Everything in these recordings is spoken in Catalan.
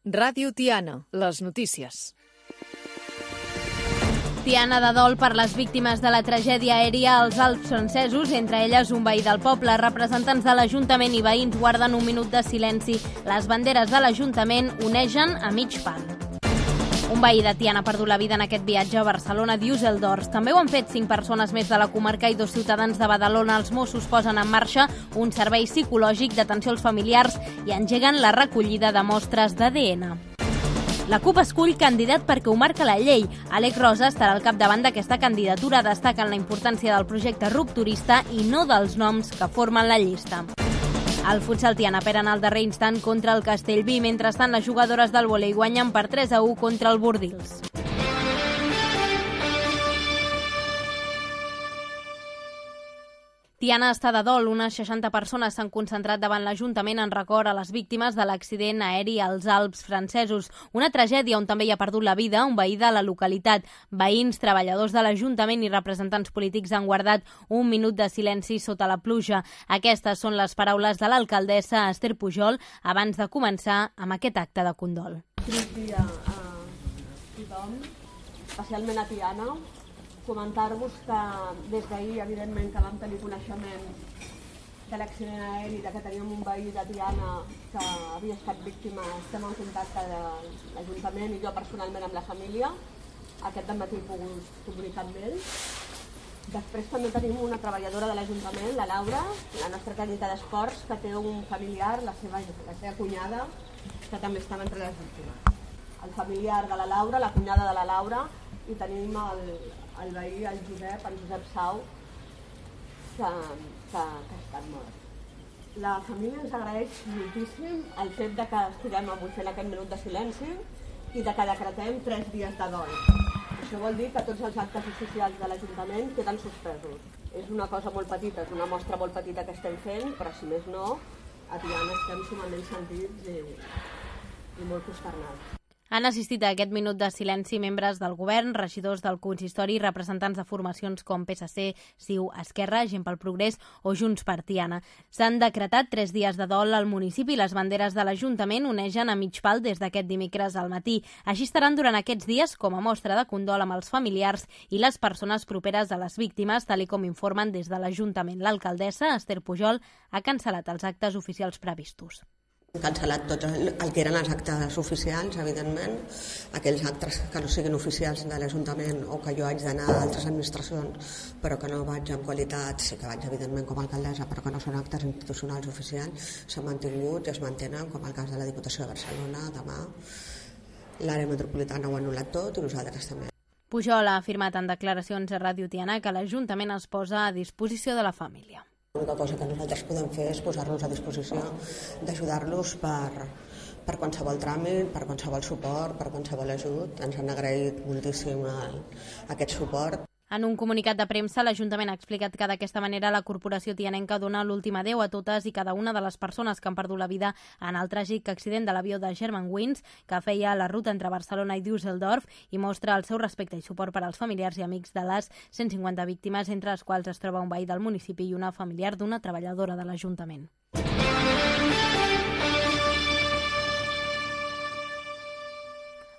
Ràdio Tiana, les notícies. Tiana de dol per les víctimes de la tragèdia aèria als Alps francesos, entre elles un veí del poble. Representants de l'Ajuntament i veïns guarden un minut de silenci. Les banderes de l'Ajuntament onegen a mig pal. Un veí de Tiana ha perdut la vida en aquest viatge a Barcelona Düsseldorf. També ho han fet 5 persones més de la comarca i 2 ciutadans de Badalona. Els Mossos posen en marxa un servei psicològic d'atenció als familiars i engeguen la recollida de mostres d'ADN. La CUP escull candidat perquè ho marca la llei. Àlex Rosa estarà al capdavant d'aquesta candidatura. Destaquen la importància del projecte rupturista i no dels noms que formen la llista. El futsal Tiana perd en el darrer instant contra el Castellví. Mentrestant, les jugadores del vòlei guanyen per 3-1 contra el Bordils. Tiana està de dol. Unes 60 persones s'han concentrat davant l'Ajuntament en record a les víctimes de l'accident aeri als Alps francesos. Una tragèdia on també hi ha perdut la vida un veí de la localitat. Veïns, treballadors de l'Ajuntament i representants polítics han guardat un minut de silenci sota la pluja. Aquestes són les paraules de l'alcaldessa Esther Pujol abans de començar amb aquest acte de condol. Trist dia a tothom, especialment a Tiana. Comentar-vos que des d'ahir, evidentment, que vam tenir coneixement de l'accident aeri, que teníem un veí de Tiana que havia estat víctima. Estem en contacte de l'Ajuntament i jo personalment amb la família. Aquest dematí he pogut comunicar amb ells. Després també tenim una treballadora de l'Ajuntament, la Laura, la nostra tècnica d'esports, que té un familiar, la seva cunyada, que també estava entre les víctimes. El familiar de la Laura, la cunyada de la Laura, i tenim el veí, el Josep Sau, que ha estat mort. La família ens agraeix moltíssim el fet de que estiguem avui fent aquest minut de silenci i de que decretem 3 dies de dol. Això vol dir que tots els actes oficials de l'Ajuntament queden suspesos. És una cosa molt petita, és una mostra molt petita que estem fent, però si més no, a Tiana estem sumament sentits i molt consternats. Han assistit a aquest minut de silenci membres del govern, regidors del consistori i representants de formacions com PSC, CiU, Esquerra, Gent pel Progrés o Junts per Tiana. S'han decretat 3 dies de dol al municipi i les banderes de l'Ajuntament onegen a mig pal des d'aquest dimecres al matí. Així estaran durant aquests dies com a mostra de condol amb els familiars i les persones properes a les víctimes, tal com informen des de l'Ajuntament. L'alcaldessa, Esther Pujol, ha cancel·lat els actes oficials previstos. Hem cancel·lat tot el que eren els actes oficials, evidentment, aquells actes que no siguin oficials de l'Ajuntament o que jo haig d'anar a altres administracions, però que no vaig en qualitat, sí que vaig evidentment com a alcaldessa, però que no són actes institucionals oficials, s'han mantingut i es mantenen, com el cas de la Diputació de Barcelona, demà. L'àrea metropolitana ho ha anul·lat tot i nosaltres també. Pujol ha afirmat en declaracions a Ràdio Tiana que l'Ajuntament es posa a disposició de la família. L'única cosa que nosaltres podem fer és posar-nos a disposició d'ajudar-los per qualsevol tràmit, per qualsevol suport, per qualsevol ajut. Ens han agraït moltíssim aquest suport. En un comunicat de premsa, l'Ajuntament ha explicat que d'aquesta manera la corporació tianenca dona l'últim adeu a totes i cada una de les persones que han perdut la vida en el tràgic accident de l'avió de Germanwings que feia la ruta entre Barcelona i Düsseldorf i mostra el seu respecte i suport per als familiars i amics de les 150 víctimes, entre les quals es troba un veí del municipi i una familiar d'una treballadora de l'Ajuntament.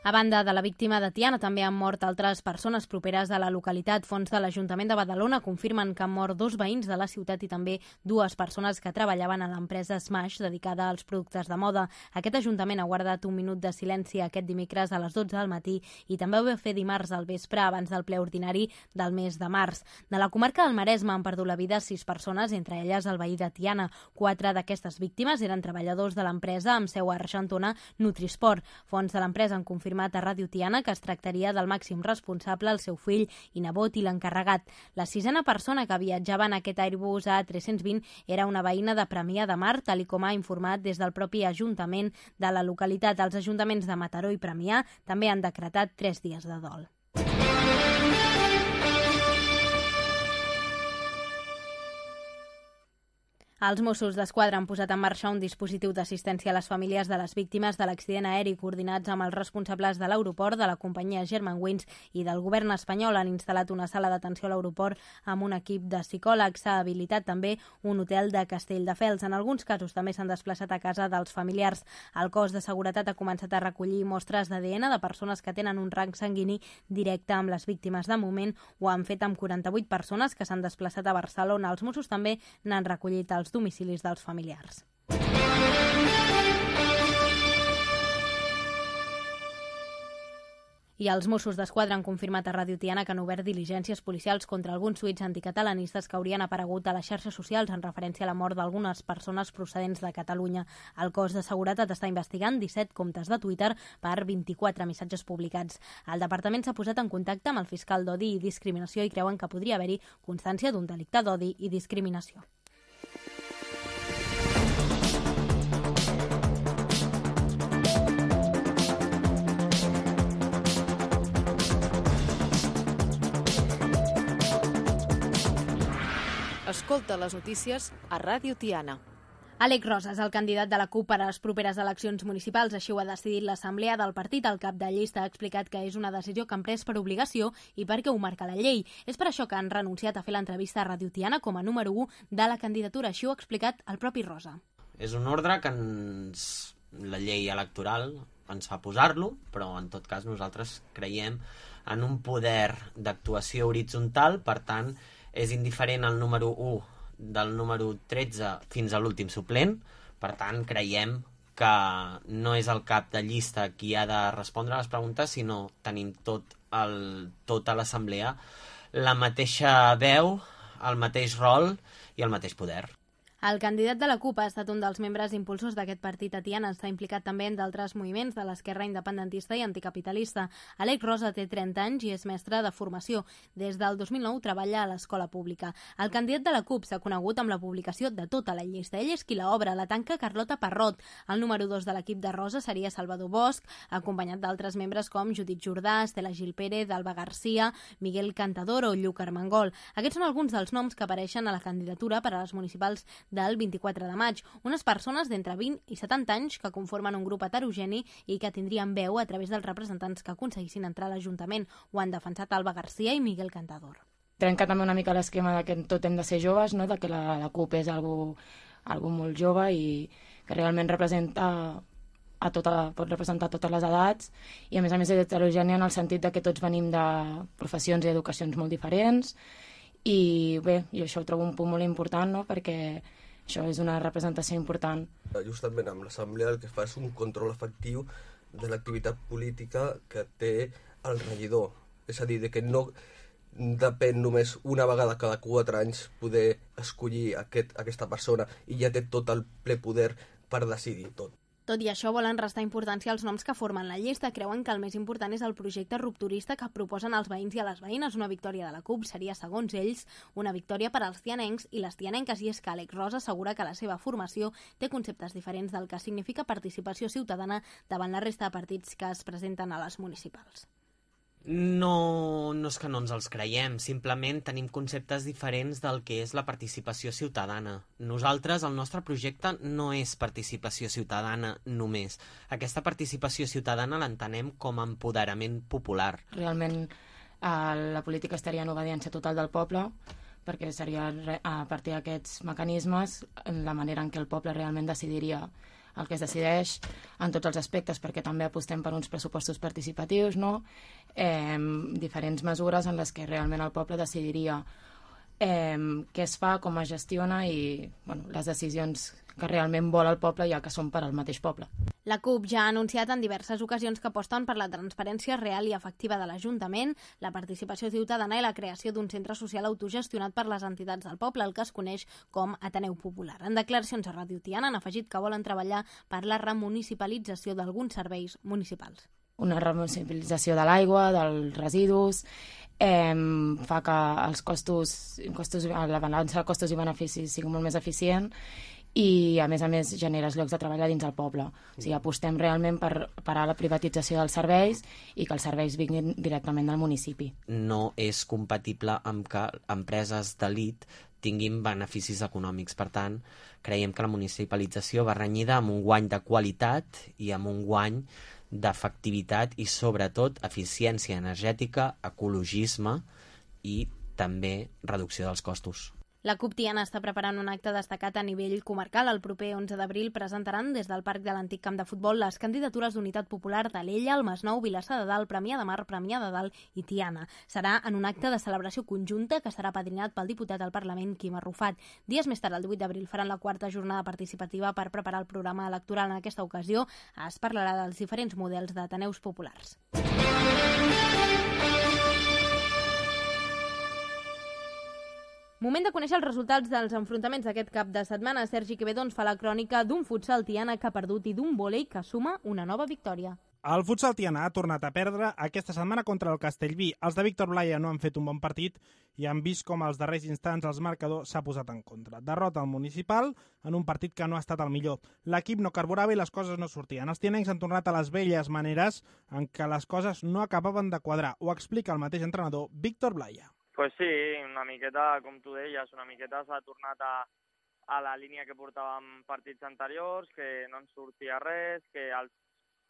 A banda de la víctima de Tiana, també han mort altres persones properes a la localitat. Fons de l'Ajuntament de Badalona confirmen que han mort 2 veïns de la ciutat i també 2 persones que treballaven a l'empresa Smash, dedicada als productes de moda. Aquest Ajuntament ha guardat un minut de silenci aquest dimecres a les 12 del matí i també ho va fer dimarts al vespre abans del ple ordinari del mes de març. De la comarca del Maresme han perdut la vida 6 persones, entre elles el veí de Tiana. 4 d'aquestes víctimes eren treballadors de l'empresa amb seu a Argentona Nutrisport. Fons de l'empresa han confirmat a Ràdio Tiana que es tractaria del màxim responsable, el seu fill i nebot i l'encarregat. La 6a persona que viatjava en aquest Airbus A320 era una veïna de Premià de Mar, tal com ha informat des del propi Ajuntament de la localitat. Els ajuntaments de Mataró i Premià també han decretat 3 dies de dol. Els Mossos d'Esquadra han posat en marxa un dispositiu d'assistència a les famílies de les víctimes de l'accident aeri coordinats amb els responsables de l'aeroport, de la companyia Germanwings i del govern espanyol. Han instal·lat una sala d'atenció a l'aeroport amb un equip de psicòlegs. S'ha habilitat també un hotel de Castelldefels. En alguns casos també s'han desplaçat a casa dels familiars. El cos de seguretat ha començat a recollir mostres d'ADN de persones que tenen un rang sanguini directe amb les víctimes. De moment ho han fet amb 48 persones que s'han desplaçat a Barcelona. Els Mossos també n'han recollit els domicilis dels familiars. I els Mossos d'Esquadra han confirmat a Ràdio Tiana que han obert diligències policials contra alguns tuits anticatalanistes que haurien aparegut a les xarxes socials en referència a la mort d'algunes persones procedents de Catalunya. El cos de seguretat està investigant 17 comptes de Twitter per 24 missatges publicats. El departament s'ha posat en contacte amb el fiscal d'Odi i Discriminació i creuen que podria haver-hi constància d'un delicte d'odi i discriminació. Escolta les notícies a Ràdio Tiana. Àlex Rosas, el candidat de la CUP per a les properes eleccions municipals, així ho ha decidit l'assemblea del partit. El cap de llista ha explicat que és una decisió que han pres per obligació i perquè ho marca la llei. És per això que han renunciat a fer l'entrevista a Ràdio Tiana com a número 1 de la candidatura. Així ho ha explicat el propi Rosa. És un ordre que la llei electoral ens fa posar-lo, però en tot cas nosaltres creiem en un poder d'actuació horitzontal, per tant és indiferent el número 1 del número 13 fins a l'últim suplent. Per tant, creiem que no és el cap de llista qui ha de respondre a les preguntes, sinó tenim tota l'assemblea la mateixa veu, el mateix rol i el mateix poder. El candidat de la CUP ha estat un dels membres impulsors d'aquest partit a Tiana. Està implicat també en d'altres moviments de l'esquerra independentista i anticapitalista. Àlex Rosa té 30 anys i és mestre de formació. Des del 2009 treballa a l'escola pública. El candidat de la CUP s'ha conegut amb la publicació de tota la llista. Ell és qui l'obre, la tanca Carlota Parrot. El número 2 de l'equip de Rosa seria Salvador Bosch, acompanyat d'altres membres com Judit Jordà, Estela Gil Pérez, Alba Garcia, Miguel Cantador o Lluc Armengol. Aquests són alguns dels noms que apareixen a la candidatura per a les municipals del 24 de maig. Unes persones d'entre 20 i 70 anys que conformen un grup heterogeni i que tindrien veu a través dels representants que aconseguissin entrar a l'Ajuntament. Ho han defensat Alba Garcia i Miguel Cantador. Trenca també una mica l'esquema de que tot hem de ser joves, no? De que la CUP és algú molt jove i que realment pot representar totes les edats i a més és heterogènia en el sentit de que tots venim de professions i educacions molt diferents i bé, jo això ho trobo un punt molt important, no? Perquè això és una representació important. Justament amb l'assemblea el que fa és un control efectiu de l'activitat política que té el regidor. És a dir, que no depèn només una vegada cada 4 anys poder escollir aquesta persona i ja té tot el ple poder per decidir tot. Tot i això, volen restar importància als noms que formen la llista. Creuen que el més important és el projecte rupturista que proposen els veïns i a les veïnes. Una victòria de la CUP seria, segons ells, una victòria per als tianencs i les tianenques, i és que Àlex Rosa assegura que la seva formació té conceptes diferents del que significa participació ciutadana davant la resta de partits que es presenten a les municipals. No és que no ens els creiem, simplement tenim conceptes diferents del que és la participació ciutadana. Nosaltres, el nostre projecte no és participació ciutadana només. Aquesta participació ciutadana l'entenem com a empoderament popular. Realment la política estaria en obediència total del poble, perquè seria a partir d'aquests mecanismes la manera en què el poble realment decidiria el que es decideix en tots els aspectes, perquè també apostem per uns pressupostos participatius, no? Diferents mesures en les que realment el poble decidiria què es fa, com es gestiona i les decisions que realment vol el poble, ja que són per al mateix poble. La CUP ja ha anunciat en diverses ocasions que aposten per la transparència real i efectiva de l'Ajuntament, la participació ciutadana i la creació d'un centre social autogestionat per les entitats del poble, el que es coneix com Ateneu Popular. En declaracions a Ràdio Tiana han afegit que volen treballar per la remunicipalització d'alguns serveis municipals. Una remunicipalització de l'aigua, dels residus, fa que els costos, la balança de costos i beneficis sigui molt més eficient i a més generes llocs de treball a dins el poble. O sigui, apostem realment per parar la privatització dels serveis i que els serveis vinguin directament del municipi. No és compatible amb que empreses d'elit tinguin beneficis econòmics. Per tant, creiem que la municipalització va renyida amb un guany de qualitat i amb un guany d'efectivitat i, sobretot, eficiència energètica, ecologisme i també reducció dels costos. La CUP Tiana està preparant un acte destacat a nivell comarcal. El proper 11 d'abril presentaran des del Parc de l'Antic Camp de Futbol les candidatures d'Unitat Popular d'Alella, el Masnou, Vilassar de Dalt, Premià de Mar, Premià de Dalt i Tiana. Serà en un acte de celebració conjunta que estarà padrinat pel diputat al Parlament, Quim Arrufat. Dies més tard, el 18 d'abril, faran la quarta jornada participativa per preparar el programa electoral. En aquesta ocasió es parlarà dels diferents models d'ateneus populars. Moment de conèixer els resultats dels enfrontaments d'aquest cap de setmana. Sergi Quevedo ens fa la crònica d'un futsal Tiana que ha perdut i d'un vòlei que suma una nova victòria. El futsal Tiana ha tornat a perdre aquesta setmana contra el Castellví. Els de Víctor Blaya no han fet un bon partit i han vist com als darrers instants el marcador s'ha posat en contra. Derrota al municipal en un partit que no ha estat el millor. L'equip no carburava i les coses no sortien. Els tianencs han tornat a les velles maneres en què les coses no acabaven de quadrar. Ho explica el mateix entrenador, Víctor Blaya. Pues sí, una miqueta, com tu deies, una miqueta s'ha tornat a la línia que portàvem partits anteriors, que no ens sortia res, que als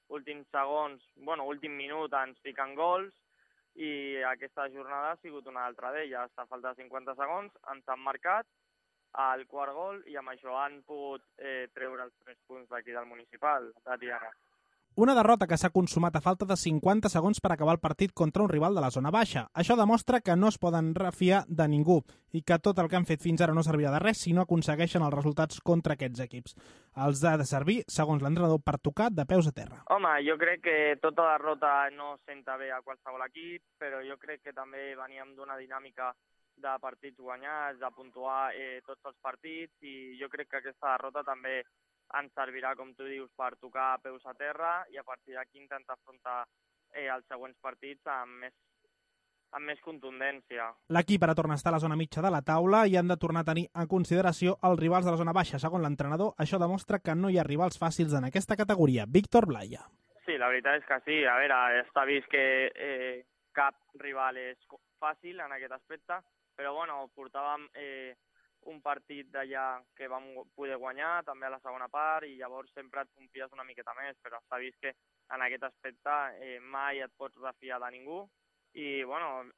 últims segons, últim minut ens fiquen gols i aquesta jornada ha sigut una altra d'elles. A falta de 50 segons ens han marcat el quart gol i amb això han pogut treure els 3 punts d'aquí del municipal, de Tiana. Una derrota que s'ha consumat a falta de 50 segons per acabar el partit contra un rival de la zona baixa. Això demostra que no es poden refiar de ningú i que tot el que han fet fins ara no servirà de res si no aconsegueixen els resultats contra aquests equips. Els ha de servir, segons l'entrenador, per tocar de peus a terra. Home, jo crec que tota derrota no senta bé a qualsevol equip, però jo crec que també veníem d'una dinàmica de partits guanyats, de puntuar tots els partits, i jo crec que aquesta derrota també ens servirà, com tu dius, per tocar peus a terra i a partir d'aquí intentar afrontar els següents partits amb més contundència. L'equip ara torna a estar a la zona mitja de la taula i han de tornar a tenir en consideració els rivals de la zona baixa. Segons l'entrenador, això demostra que no hi ha rivals fàcils en aquesta categoria. Víctor Blaya. Sí, la veritat és que sí. A veure, està vist que cap rival és fàcil en aquest aspecte, però portàvem un partit d'allà que vam poder guanyar també a la segona part i llavors sempre et confies una miqueta més, però està vist que en aquest aspecte mai et pots refiar de ningú i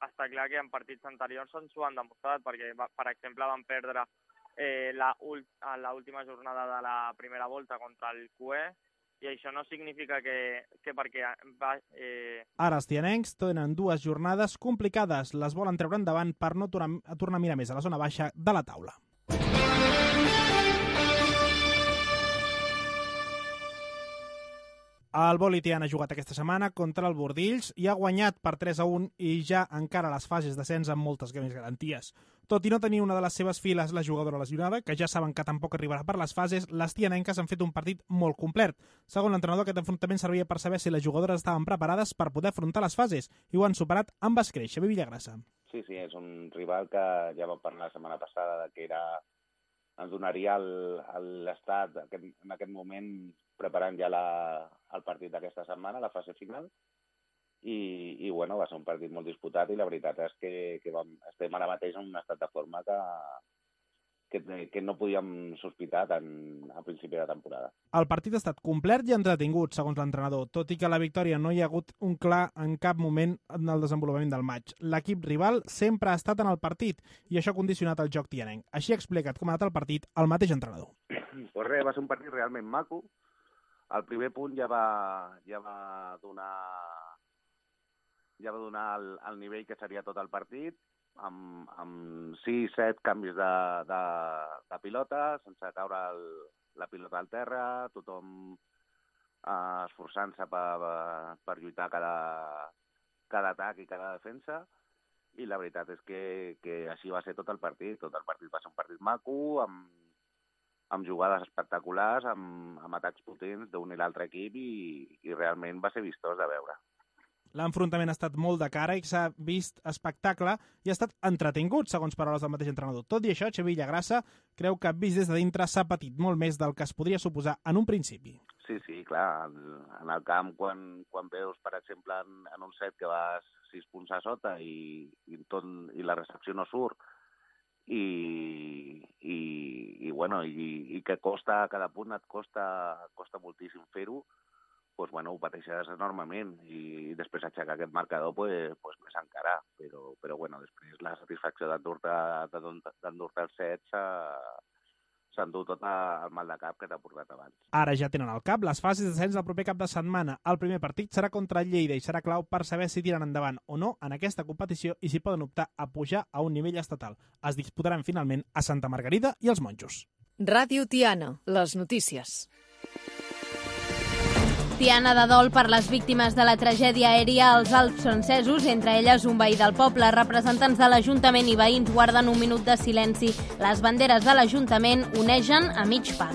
està clar que en partits anteriors ens ho han demostrat, perquè per exemple van perdre a l'última jornada de la primera volta contra el CUE i això no significa que perquè... Ara els tianencs tenen 2 jornades complicades. Les volen treure endavant per no tornar a mirar més a la zona baixa de la taula. El vòlei Tiana ha jugat aquesta setmana contra el Bordills i ha guanyat per 3-1 i ja encara a les fases d'ascens amb moltes més garanties. Tot i no tenir una de les seves files la jugadora lesionada, que ja saben que tampoc arribarà per les fases, les tianenques han fet un partit molt complet. Segons l'entrenador, aquest enfrontament servia per saber si les jugadores estaven preparades per poder afrontar les fases i ho han superat amb escreix. Xavier Villagrassa. Sí, és un rival que ja vam parlar la setmana passada que ens donaria l'estat en aquest moment preparant ja el partit d'aquesta setmana, la fase final, i va ser un partit molt disputat i la veritat és que estem ara mateix en un estat de forma que no podíem sospitar a principi de temporada. El partit ha estat complet i entretingut, segons l'entrenador, tot i que la victòria no hi ha hagut un clar en cap moment en el desenvolupament del maig. L'equip rival sempre ha estat en el partit i això ha condicionat el joc tianenc. Així ha explicat com ha anat el partit el mateix entrenador. Pues res, va ser un partit realment maco. El primer punt ja va donar el nivell que seria tot el partit, amb 6-7 canvis de pilota, sense caure la pilota al terra, tothom esforçant-se per lluitar cada atac i cada defensa, i la veritat és que així va ser tot el partit. Tot el partit va ser un partit maco, amb jugades espectaculars, amb atacs potents d'un i l'altre equip i realment va ser vistós de veure. L'enfrontament ha estat molt de cara i s'ha vist espectacle i ha estat entretingut, segons paraules del mateix entrenador. Tot i això, Xavi Villagrasa creu que vist des de dintre s'ha patit molt més del que es podria suposar en un principi. Sí, clar. En el camp, quan veus, per exemple, en un set que vas 6 punts a sota i la recepció no surt, i que costa, cada punt et costa moltíssim fer-ho, doncs, ho pateixes enormement i després aixecar aquest marcador més encara, però després la satisfacció d'endur-te el set s'endú tot el mal de cap que t'ha portat abans. Ara ja tenen al cap les fases d'ascens del proper cap de setmana. El primer partit serà contra el Lleida i serà clau per saber si tiren endavant o no en aquesta competició i si poden optar a pujar a un nivell estatal. Es disputaran finalment a Santa Margarida i els Monjos. Ràdio Tiana, les notícies. Tiana de dol per les víctimes de la tragèdia aèria als Alps francesos, entre elles un veí del poble. Representants de l'Ajuntament i veïns guarden un minut de silenci. Les banderes de l'Ajuntament onegen a mig pal.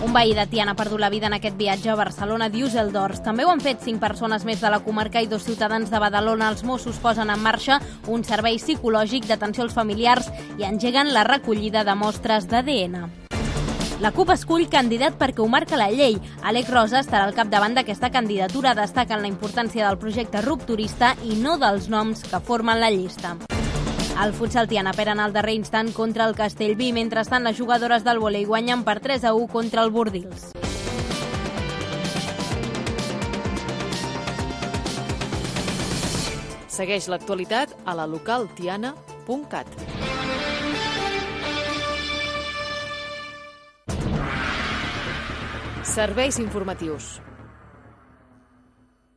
Un veí de Tiana ha perdut la vida en aquest viatge a Barcelona Düsseldorf. També ho han fet 5 persones més de la comarca i 2 ciutadans de Badalona. Els Mossos posen en marxa un servei psicològic d'atenció als familiars i engeguen la recollida de mostres d'ADN. La CUP escull candidat perquè ho marca la llei. Àlex Rosa estarà al capdavant d'aquesta candidatura. Destaquen la importància del projecte rupturista i no dels noms que formen la llista. El futsal Tiana perd en el darrer instant contra el Castellví. Mentrestant, les jugadores del vòlei guanyen per 3-1 contra el Bordils. Segueix l'actualitat a la localtiana.cat. Serveis informatius.